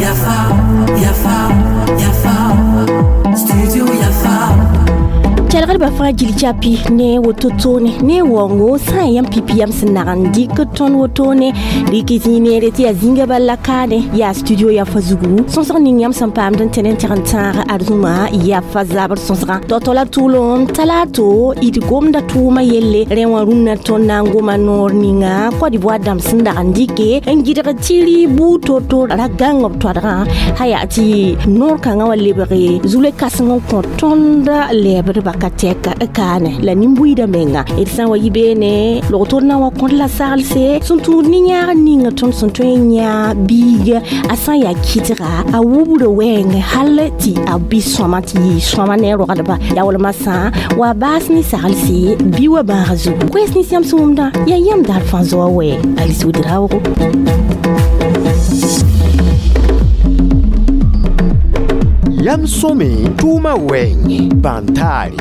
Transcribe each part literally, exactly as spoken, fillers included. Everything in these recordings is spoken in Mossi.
Yafa, Yafa, Yafa, Studio Yafa. Kelgdbã fãa gil capi ne woto toone ne waoongo sã n yãmb pipi yam sẽn nag n dɩk tõnd wotone rɩk zĩig neere tɩ yaa zĩnga bal la kaane yaa studio yafa zugu sõsg ning yãmb sẽn paamd n tẽn n tẽg n tãag ad-zũma yafa zabr sõsgã tao-tao la tʋʋlem talato d gomda tʋʋma yelle rẽ wã rũnnã tõnd na n goma noor ninga Côte d'Ivoire dãmb sẽn dag n dɩke n gɩdg tɩ rɩ buud to-to ra gãng b toadgã sã yaa tɩ noor kãngã wa lebge zule kãseng n kõ tõnd lɛɛbdbã ka tɛk kaane la nin-buiidã menga d sã n wa yi beene log-tor na n wa kõd la saglse sẽn tũud ne yãag ninga tõnd sẽn tõe n yã biig a sã n yaa kɩtga a wubra wɛɛng hal tɩ a bɩ sõama tɩ yɩ sõama ne a rogdba yaa wala masã wa baas ne saglse bɩ wa bãag zugu koɛɛs nins yãmb sẽn wʋmdã yaa yãmb daar fãa zoa wɛ Alice Ouedraogo. Yam sõme tʋʋma wɛɛngẽ bãn-taare.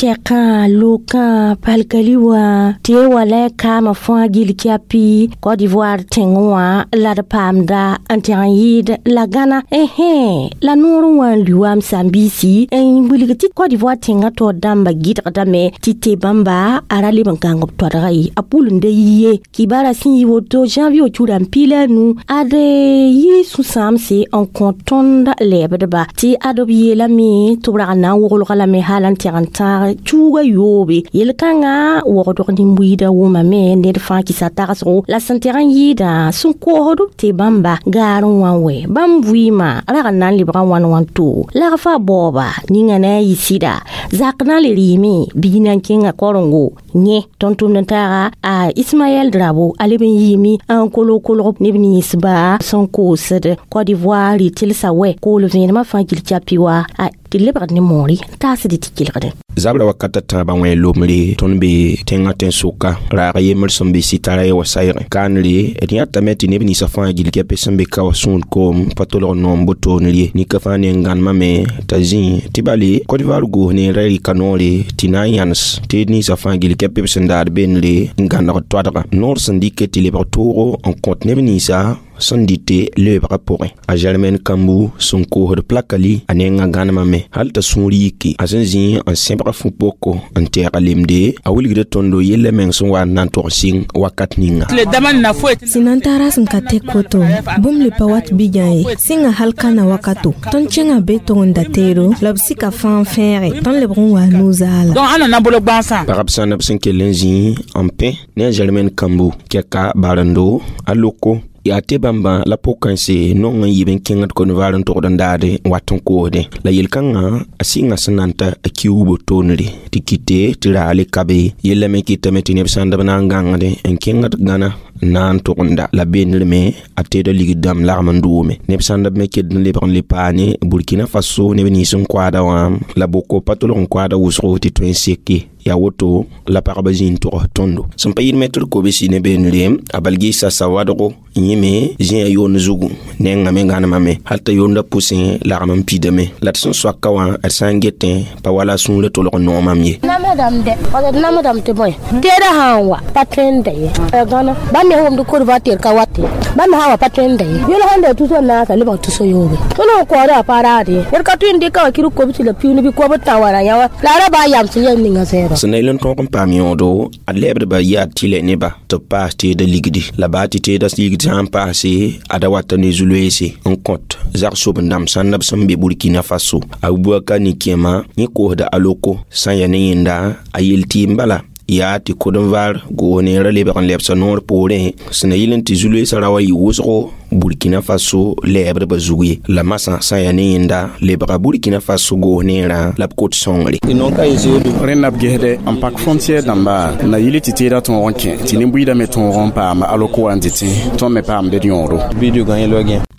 Tɛkã lokã palkali wã tɩ ye wa la y kaamã fãa gil kɛapi Côte d'Ivoire tẽngẽ wã la d paamda n tẽg n yɩɩd la gãna ɛhẽ la noor n wa n lʋ wa m saam-biisi n wilg tɩ Côte d'Ivoire tẽngã taoor dãmbã gɩdgdame tɩ tɩ bãmba a ra leb n gãng b toadga ye a pʋl n da yi ye kibaara sẽn yi woto janvier cura n piila a nu ad yɩ sũ-sãamse n kõ tõnd lɛɛbdba tɩ ad b yeelame tɩ b rag n na n woglga lame hal n tẽg n tãag tuuga yoobe yel-kãngã waoogdg nin-buiidã wʋmame ned fãa kɩsa tagsgo la sẽn teg n yɩɩdã sẽn koosd b tɩ bãmba gaar n wã wɛ bãmb vɩɩmã rag n na n lebga wãn wãn to lagfã baooba ninga na n yɩ sɩda zak na n le rɩɩme bii na n kẽnga korengo yẽ tõnd tʋmd n taaga a Ismaɛl Drabo a leb n yɩɩme n kolg kolg neb ninsba sẽn koosd Côte d'Ivoire rɩ tɩlsa wɛ kool vẽenemã fãa gil capi wa a tɩ lebgd ne moore n taasd tɩ kelgdẽ. Zabra wakata tãabã wẽ lomre tõnd be tẽngã tẽn-sʋka raag yembr sẽn be sɩtara ye wa sayge kaanre d yãtame tɩ neb ninsã fãa gil kɛpɛ sẽn be ka wa sũud koom pa tolg noom botoonr ye nika fãa ne n gãnemame t'a zĩ tɩ bale Côte d'Ivoire goos ne ra rɩka noore tɩ na n yãnes tɩ ninsã fãa gil kɛpɛ b sẽn daad beenre n gãneg toadga noor sẽn dɩke tɩ lebg toogo n kõt neb ninsã sẽn dɩte leebgã pʋgẽ a Germaine Kambu sẽn koosd plakali a nengã gãnemame hal t'a sũur yiki a sẽn zĩ n sẽbg fu-poko n tɛɛga lemde a wilgda tõndo yella meng sẽn wa n na n tog sɩng wakat ninga. Sẽn na n tara sẽn ka tɛk woto bũmb le pa wat bigã ye sɩnga hal ka na wakato tõnd kẽngã be tog n da teedo la b sika fãa n fẽege tõnd lebg n wa nu-zaala. Pagb sãn b sẽn kell n zĩ n pẽ ne a Germaine Kambu kɛka barendo a loko yaa tɩ bãmbã la pʋg-kãense nong n yib n kẽngd Côte d'Ivoire n togd n daade n wat n koosdẽ la yel-kãngã a sɩnga sẽn na n ta a kiuubo toonre tɩ kɩte tɩ raale ka be yella me kɩtame tɩ neb sãnd b na n gãngdẽ n kẽngd gãna n na n togenda la beenr me a teeda ligd dãmb lagm n doome neb sãnd b me ked n lebg n le paane Burkina Faso neb nins n koaada wã la boko pa tolg n koaada wʋsgo tɩ tõe n seke yaa woto la pagba zĩ n togs tõndo sẽn pa yɩl mɛtr kobsi ne beenre a balgɩɩsa sawadgo yẽme zĩ a yoond zugu nengã me gãnemame hal t'a yoondã pʋsẽ lagm n pidame la d sẽn soaka wã d sã n getẽ pa wala a sũurã tolg n noomam ye. Namdame dɛ d namdame tɩ bõe teedã sã n wa pa tõe n da ye gãna bãmb me wʋmd Côte d'Ivoire tɩ d ka wat ye bãmb me sã n wa pa tõe n da ye yel sãn da tuso n naasa lebg tuso yoobe tõnd n koɔda a pa raad ye d ka tõe n dɩka wã kɩr kobsi la piuuni bɩ kob tã wara yã wã la a ra baa yams yɛl ninga zɛɛba. Sẽn na yel n tõog n paam yõodo ad lɛɛbdbã yaa tɩlɛ neba tɩ b paas teeda ligdi la baa tɩ teeda ligd sã n paase a da wata ne zu-loeese n kõt zag-sobendãmb sãnd b sẽn be Burkina Faso a Bubakar Nikema yẽ koosda a loko sã n yaa ne yẽnda a yel tɩɩm bala yaa tɩ kod-n-vaar goos neerã lebg n lebsa noor poorẽ sẽn na yɩl n tɩ zu-loeesã ra wa yɩ wʋsgo Burkina Faso lɛɛbdbã zug ye la masã sã n yaa ne yẽnda lebga Burkina Faso goos neerã la b kot sõngre. Rẽnd b gesde n pak frontiɛr dãmba na yɩl tɩ teedã tõog n kẽ tɩ nin-buiidã me tõog n paam aloko wã n dɩtẽ tõnd me paamd d yõodo.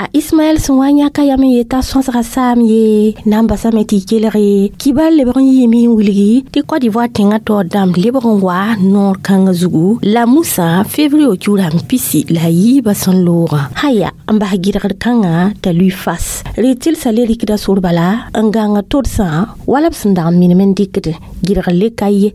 A Ismaɛl sẽn wa n yãka yam n yeta sõsga saam ye na n basame tɩ y kelge kibar lebg n yiime n wilgi tɩ Côte d'Ivoire tẽngã taoor dãmb lebg n wa noor kãngã zugu la musã février cura n pisi la a yiibã sẽn loogã sã yaa n bas gɩdgd kãngã t'a lui fas rɩ tɩlsa le rɩkda sor bala n gãnga todsã wala b sẽn dag n minim n dɩkd gɩdgr le ka ye.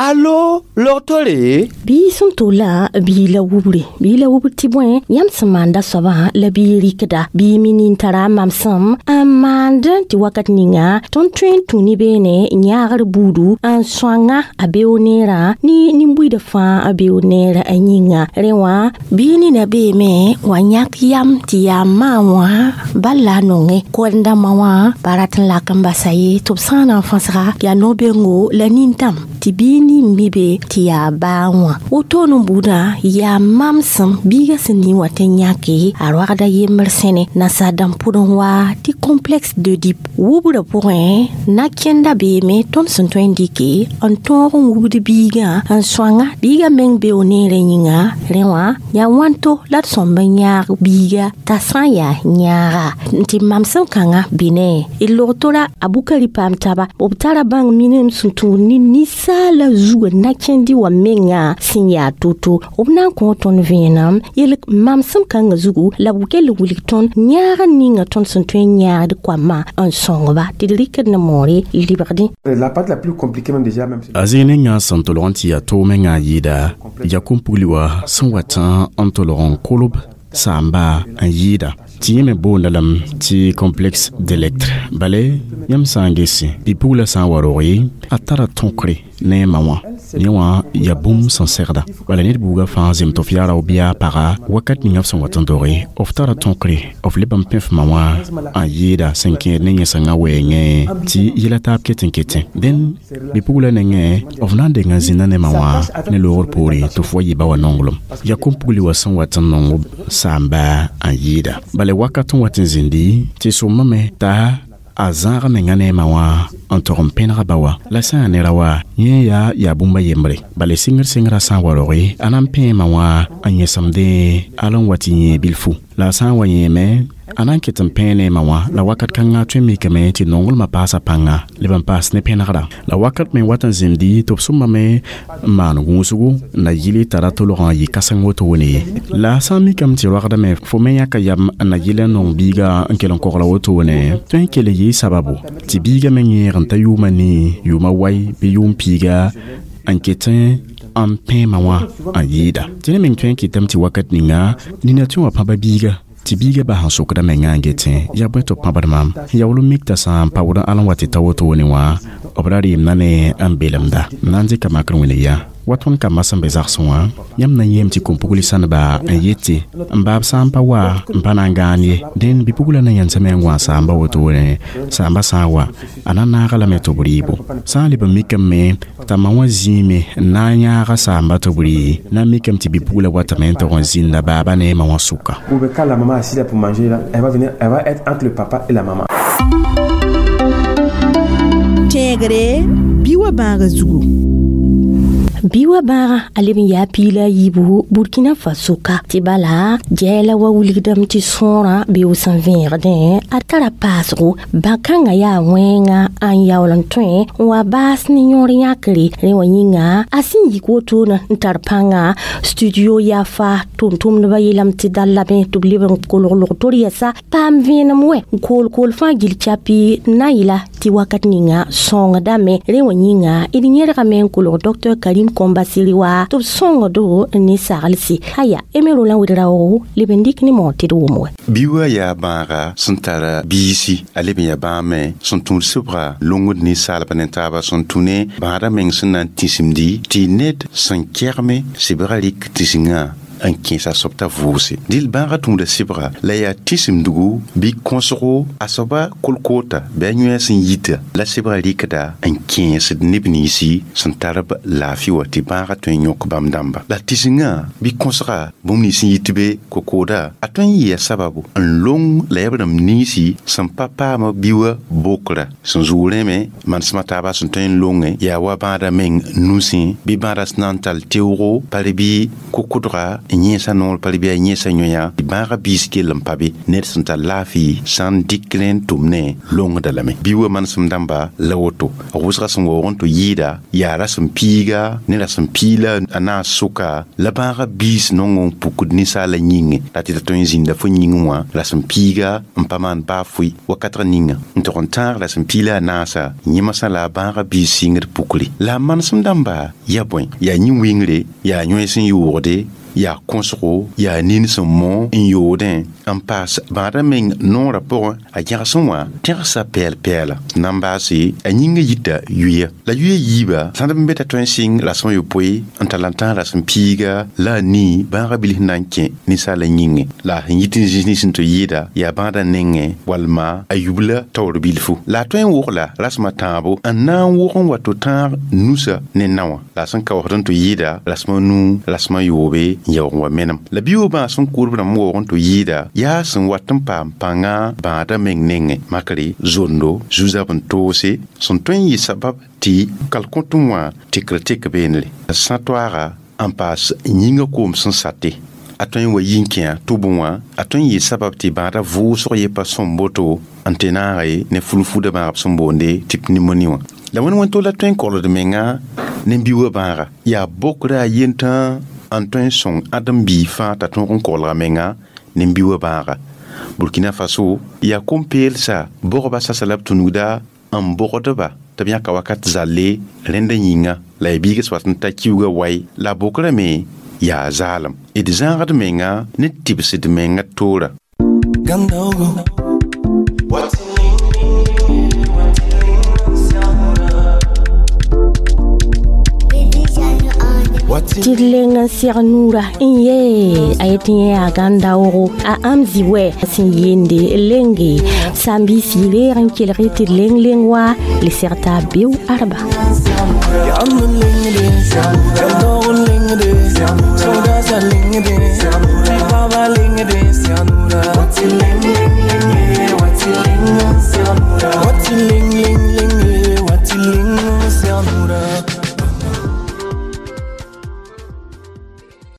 Alo, log-tore? Bii sẽn tola bii la wubri bii la wubr tɩ bõe yãmb sẽn maanda soabã la bii rɩkda bii mi nin tara mamsem n maand tɩ wakat ninga tõnd tõe n tũ ne beene yãagr buudu n sõanga a beoog neerã ne nin-buiidã fãa a beoog neerã a yĩnga rẽ wã bii nina beeme wa yãk yam tɩ yaa maan wã bal la a nonge koɛɛm-dãmbã wã pa rat n lak n basa ye tɩ b sã n na n fãsga yaa no-bengo la nintãm tɩ bii nin mi be tɩ yaa baa wã wotone buudã yaa mamsem biiga sẽn ning wa tɩ yãke a roagda yembr sẽne nasaar-dãmb pʋdẽ wa tɩ complexe d'Oedipe wubrã pʋgẽ na-kẽnda beeme tõnd sẽn tõe n dɩke n tõog n wubd biigã n sõanga biigã meng beoog neerã yĩnga rẽ wã yaa wãnto la d sõmb n yãag biiga t'a sã n yaa yãaga n tɩ mamsem kãngã bɩ ne d log-tora a bukari paam taba b tara bãng minim sẽn tũud ne ninsaala zugã na-kẽndi wã menga sẽn yaa to-to b na n kõ tõnd vẽenem yel mamsem kãngã zugu la b kell n wilg tõnd yãag n ninga tõnd sẽn tõe n yãagd koamã n sõngba tɩ d rɩkd ne moore libgdẽ. La partie la plus compliquée même déjà même A zĩig ninga sẽn tolg n tɩ yaa toom mengã yɩɩda yaa kom-pugli wa sẽn wat n tolg n kolb saamba n yɩɩda tɩ yẽ me boonda lame tɩ complexe d'Électre bale yãmb sã n gese bi-pugla sã n wa rog ye a tara tõkre ne a ma wã yẽ wã yaa bũmb sẽn segda bala ned buugã fãa zem tɩ f yaa rao bɩ yaa paga wakat ninga f sẽn wat n doge f tara tõkre f leb n pẽ f ma wã n yɩɩda sẽn kẽed ne yẽsengã wɛɛngẽ tɩ yɛla taab ket n ketẽ dẽn bi-pugla nengẽ f na n deng n zĩnda ne ma wã ne loogr poore tɩ f wa yɩ ba wã nonglem yaa kom-pugli wa sẽn wat n nong saamba n yɩɩda bala wakat n wat n zĩndi tɩ sõmame t'a a zãag menga ne ma wã n tog n pẽnega ba wa la sã n yaa nera wa yẽ yaa yaa bũmba yembre bala sɩngr sɩngrã sã n wa roge a na n pẽema wã n yẽsemdẽ al n wa tɩ yẽ bilfu la a sã n wa yẽeme a na n ket n pẽ ne ma wã la wakat kãngã tõe n mikame tɩ nonglmã paasa pãnga leb n paas ne pẽnegra la wakat me wat n zĩmdi tɩ b sõmame n maan gũusgu n na yɩl tara tolgã n yɩ kãseng wotone ye la a sã n mikame tɩ roagdame fo me yãka yam n na yɩl n nong biiga n kell n kogla wotone tõe n kell n yɩɩ sababu tɩ biiga me yẽeg n ta yʋʋma nii yʋʋma wai bɩ yʋʋm piiga n ket n pẽema wã n yɩɩda tɩ ne meng tõe n kɩtame tɩ wakat ninga nina tõe wã pãba biiga tɩ biiga bas n sokda mengã n getẽ yaa bõe tɩ b pãbd maam yaool n mik t'a sã n paood al n wa tɩ ta wotone wã b ra reemda ne n belemda n na n dɩka makr wẽne yaa wa tõnd kambã sẽn be zagsẽ wã yãmb na n yeem tɩ kom-pugli sãneba n yete n baab sã n pa wa n pa na n gãan ye dẽn bi-pugla na yãnsame n wã saamba wotone saamba sã n wa a na naaga lame tɩ b rɩɩbo sã n leb n mikame t'a ma wã zĩime n na n yãaga saamba tɩ b rɩ na n mikame tɩ bi-pugla watame n tog n zĩnda baaba ne ma wã sʋka. Ou bien quand la maman est assise là pour manger, là, elle va venir, elle va être entre le papa et la maman. Tẽegre bɩ wa bãaga zugu. Bi wa bãaga a leb n yaa piila a yiibu Burkina Faso ka tɩ bala gɛɛla wa wilgdame tɩ sõorã beoog sẽn vẽegdẽ a tara paasgo bã-kãngã yaa wẽnga n yaool n tõe n wa baas ne yõor yãkre rẽ wã yĩnga a sẽn yik wotone n tar pãnga studio Yafa tʋm-tʋmdbã yeelame tɩ dal lame tɩ b leb n kolg log-tor yɛsa paam vẽenem wɛ n kool-kool fãa gill chapi n na n yɩla tɩ wakat ninga sõngdame rẽ wã yĩnga d yẽrgame n kolg Docteur Karim Kombasiri wa tɩ b sõngdo ne saglse aya Emerola Wedraogo leb n dɩk ne moor tɩ d wʋm wɛ. Bi wa yaa bãaga sẽn tara biisi a leb n yaa bãame sẽn tũud sɩbga longd ninsaalbã ne taaba sẽn tũ ne bãadã meng sẽn na n tĩsimdi tɩ ned sẽn kɛgme sɩbgã rɩk tĩsingã n kẽesa soab t'a vʋʋse dɩl bãagã tũuda sɩbga la yaa tĩsimdgu bɩ kõsgo a soaba kolkoota bɩ a yõe sẽn yita la sɩbgã rɩkda n kẽesd neb ninsi sẽn tar b laafɩ wã tɩ bãagã tõe n yõk bãmb dãmba la tĩsingã bɩ kõsga bũmb nins sẽn yit be kokooda a tõe n yɩa sababu n long la yaa b rãmb ninsi sẽn pa paama bi wã bokra sẽn zʋʋg rẽme manesmã taaba sẽn tõe n longe yaa wa bãadã meng nusẽ bɩ bãadã sẽn na n tall teoogo pare bɩ kokʋdga. n yẽesa noor pa bɩ a yẽesa yõya bãagã biis kell n pa be ned sẽn tar laafɩ sã n dɩk rẽ n tʋm ne longda lame bɩ wa manesem dãmba la woto wʋsga sẽn waoog n tɩ yɩɩda yaa rasem piiga ne rasem piila a naas sʋka la bãagã biis nong n pukd ninsaala yĩnge la tɩ ta tõe n zĩnda fo yĩngẽ wã rasem piiga n pa maan baa fʋɩ wakatg ninga n tog n tãag rasem piila a naasa yẽmsã la a bãagã biis sɩngd pukre la a manesem dãmba yaa bõe yaa yĩn-wɩngre yaa yõe sẽn yoogde yaa kõsgo yaa nin sẽn mõ n yoodẽ n paas bãadã meng noorã pʋgẽ a gẽgsẽ wã tẽgsa pɛɛl-pɛɛla na n baase a yĩngã yita yuya la yuya yiiba sãd n be t'a tõe n sɩng rasem a yopoe n tall n tãag rasem piiga la a nii bãagã bilf na n kẽ ninsaala yĩngẽ la a sẽn yit n zĩis nins sẽn tɩ yɩɩda yaa bãadã nengẽ walma a yubla taoor bilfu la a tõe n wogla rasem a tãabo n na n wog n wa tɩ tãag nusa ne naowã la a sẽn kaoosd n tɩ yɩɩda rasem a nuu rasem a yoobe n yaoog n wa menem la bi-wã sẽn kʋʋdb rãmb waoog n tɩ yɩɩda yaa sẽn wat n paam pãnga bãadã meng nengẽ makre zondo zu-zab n toose sẽn tõe n yɩ sabab tɩ kalkõtẽ wã tekr tek beenre sã toaaga n paas yĩngã koom sẽn sate a tõe n wa yi n kẽa tʋbẽ wã a tõe n yɩ sabab tɩ bãadã vʋʋsg ye pa sõm boto n tɩ naage ne fulfuda bãagb sẽn boonde tɩ pneumoni wã la wẽnd wẽn to la tõe n kolgd menga ne bi-wã bãaga yaa bokra a yentã n tõe n sõng ãdem-biig fãa t'a tõog n kolga menga ne bi-wã bãaga Burkina Faso yaa kom-peelsa bogba sasa la b tũnugda n bogdba tɩ b yãka wakat zalle rẽndã yĩnga la ya biiga sẽn wat n ta kiuugã wai la a bokrame yaa zaalem d zãagd menga ne tɩbsd menga toora. Tɩ d leng n seg nuurã n yee a yet yẽ yaa gãn-daoogo a ãmb zĩ wɛ sẽn yeende lenge sãn-biis reeg n kelg tɩ d leng leng wa le seg t'a beo arba.